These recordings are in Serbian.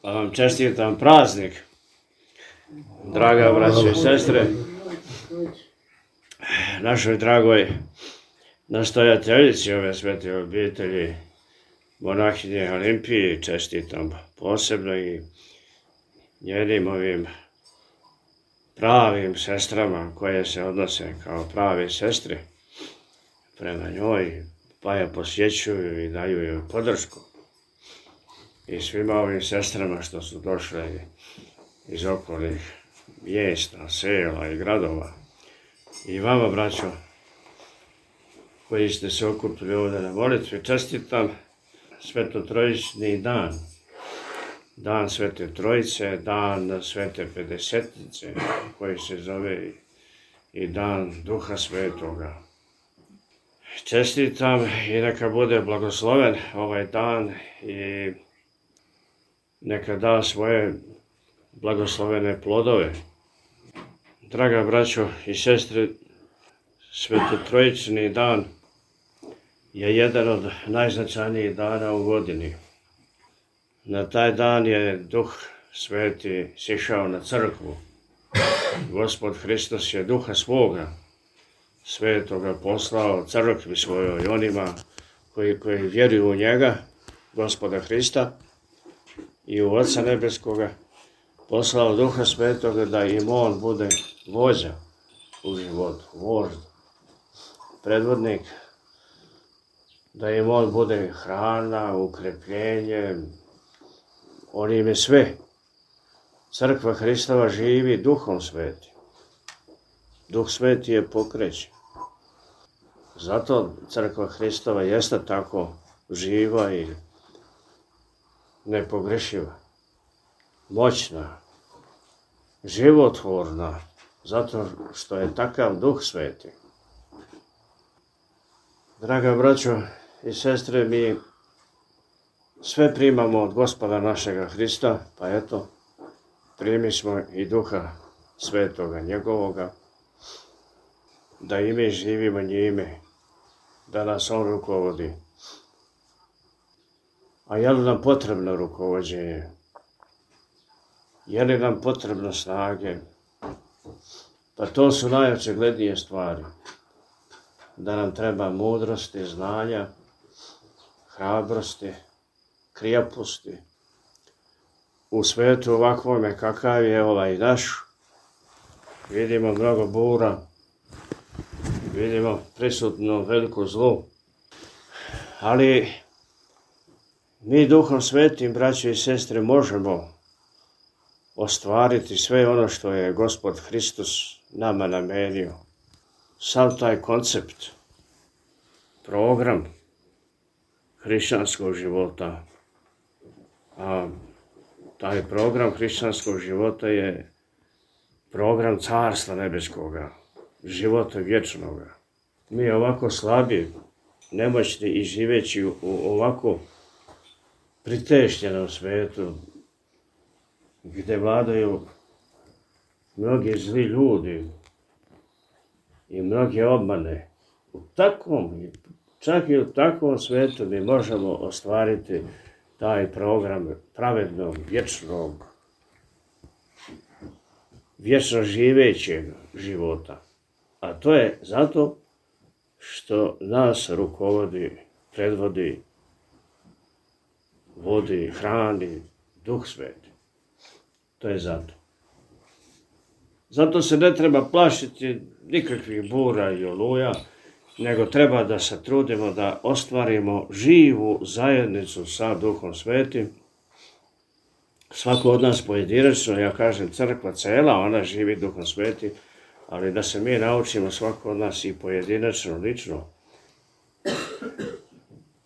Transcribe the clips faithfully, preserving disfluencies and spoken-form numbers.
Pa vam čestitam praznik, draga braćo i sestre, našoj dragoj nastojateljici ove svete obitelji, monahinje Olimpiji, čestitam posebno i njenim ovim pravim sestrama koje se odnose kao prave sestre prema njoj, pa je posjećuju i daju joj podršku. I svima ovim sestrama što su došle iz okolnih mjesta, sela i gradova. I vama, braćo, koji ste se okupili ovdje na molitvi, čestitam Svetotrojični dan. Dan Svete Trojice, dan Svete Pedesetnice, koji se zove i dan Duha Svetoga. Čestitam i neka bude blagosloven ovaj dan i neka da svoje blagoslovene plodove. Draga braćo i sestre, Svetotrojični dan je jedan od najznačajnijih dana u godini. Na taj dan je Duh Sveti sišao na crkvu. Gospod Hristos je Duha svoga Svetoga poslao crkvi svojoj, onima koji, koji vjeruju u njega, Gospoda Hrista, i u Oca Nebeskoga, poslao Duha Svetoga da im on bude vođa u životu, vožd, predvodnik, da im on bude hrana, ukrepljenje, on im je sve. Crkva Hristova živi Duhom Svetim. Duh Sveti je pokrećen. Zato Crkva Hristova jeste tako živa i nepogrešiva, moćna, životvorna, zato što je takav Duh Sveti. Draga braćo i sestre, mi sve primamo od Gospoda našega Hrista, pa eto, primi smo i Duha Svetoga njegovoga, da i mi živimo njime, da nas on rukovodi. A je li nam potrebno rukovođenje? Je li nam potrebno snage? Pa to su najočiglednije stvari. Da nam treba mudrosti, znanja, hrabrosti, krijaposti. U svetu ovakvome kakav je ovaj naš, vidimo mnogo bura, vidimo prisutno veliko zlo, ali mi Duhom Svetim, braće i sestre, možemo ostvariti sve ono što je Gospod Hristos nama namenio. Sav taj koncept, program hrišćanskog života, a taj program hrišćanskog života je program Carstva Nebeskoga, života vječnoga. Mi ovako slabi, nemoćni i živeći u ovako pritešnjenom svijetu, gdje vladaju mnogi zli ljudi i mnoge obmane, u takvom, čak i u takvom svijetu mi možemo ostvariti taj program pravednog, vječnog, vječno živećeg života. A to je zato što nas rukovodi, predvodi, vodi, hrani Duh Sveti. To je zato. Zato se ne treba plašiti nikakvih bura i oluja, nego treba da se trudimo da ostvarimo živu zajednicu sa Duhom Svetim. Svako od nas pojedinačno, ja kažem crkva cela, ona živi Duhom Svetim, ali da se mi naučimo svako od nas i pojedinačno, lično,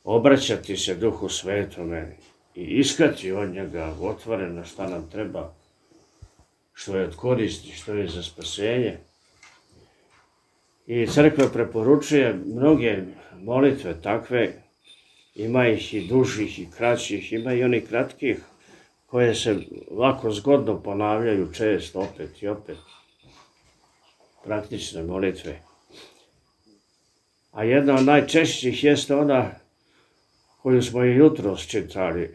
obraćati se Duhu Svetome i iskati od njega otvoreno šta nam treba, što je od koristi, što je za spasenje. I crkva preporučuje mnoge molitve takve, ima ih i dužih i kraćih, ima i onih kratkih koje se lako zgodno ponavljaju često, opet i opet. Praktične molitve. A jedna od najčešćih jeste ona koju smo i jutros čitali.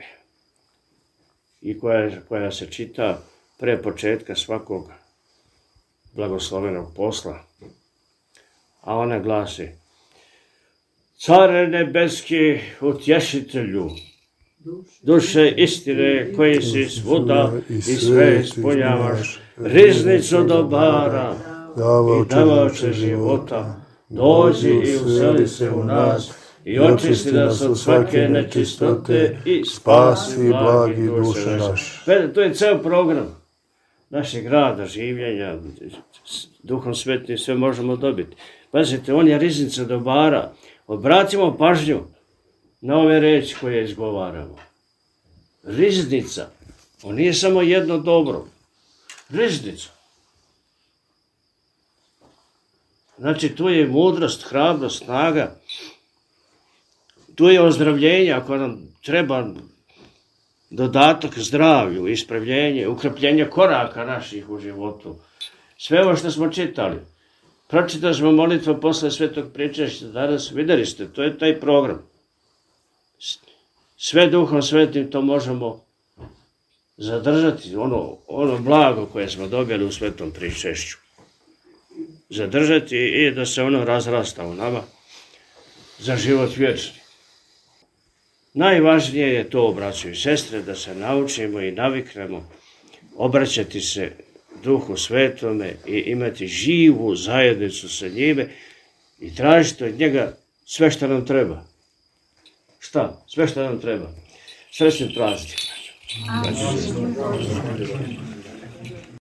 i koja, koja se čita pre početka svakog blagoslovenog posla. A ona glasi: Care nebeski, utješitelju, duše istine koji si svuda i sve ispunjavaš, riznicu dobara i davaoče života, dođi i useli se u nas i očisti nas od svake nečistote i spasi blagi duše naše. To je ceo program našeg rada, življenja, Duhom Svetim sve možemo dobiti. Pazite, on je riznica dobara. Obratimo pažnju na ove reči koje izgovaramo. Riznica. On nije samo jedno dobro. Riznica. Znači, tu je mudrost, hrabrost, snaga. Tu je ozdravljenje, ako nam treba dodatak zdravlju, ispravljenje, ukrepljenje koraka naših u životu. Sve ovo što smo čitali. Pročitali smo molitvu posle svetog pričešća danas, videli ste, to je taj program. Sve Duhom Svetim to možemo zadržati, ono, ono blago koje smo dobili u svetom pričešću. Zadržati i da se ono razrasta u nama za život vječni. Najvažnije je to, braćo i sestre, da se naučimo i naviknemo obraćati se Duhu Svetome i imati živu zajednicu sa njime i tražiti od njega sve što nam treba. Šta? Sve što nam treba. Srećni praznik.